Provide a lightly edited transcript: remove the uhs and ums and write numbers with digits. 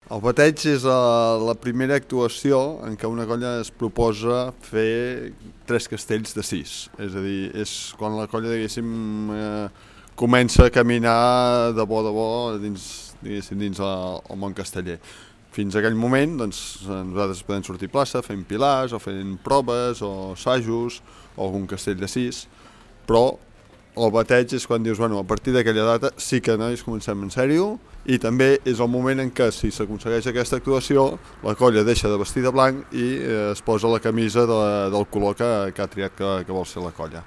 El bateig és la primera actuació en què una colla es proposa fer 3 castells de 6. És a dir, és quan la colla, diguéssim, comença a caminar de bo dins el món casteller. Fins a aquell moment, doncs, nosaltres podem sortir a plaça fent pilars, o fent proves, o assajos, o algun castell de 6, però el bateig és quan dius, bueno, a partir d'aquella data sí que nois comencem en sèrio, i també és el moment en què, si s'aconsegueix aquesta actuació, la colla deixa de vestir de blanc i es posa la camisa del color que ha triat que vol ser la colla.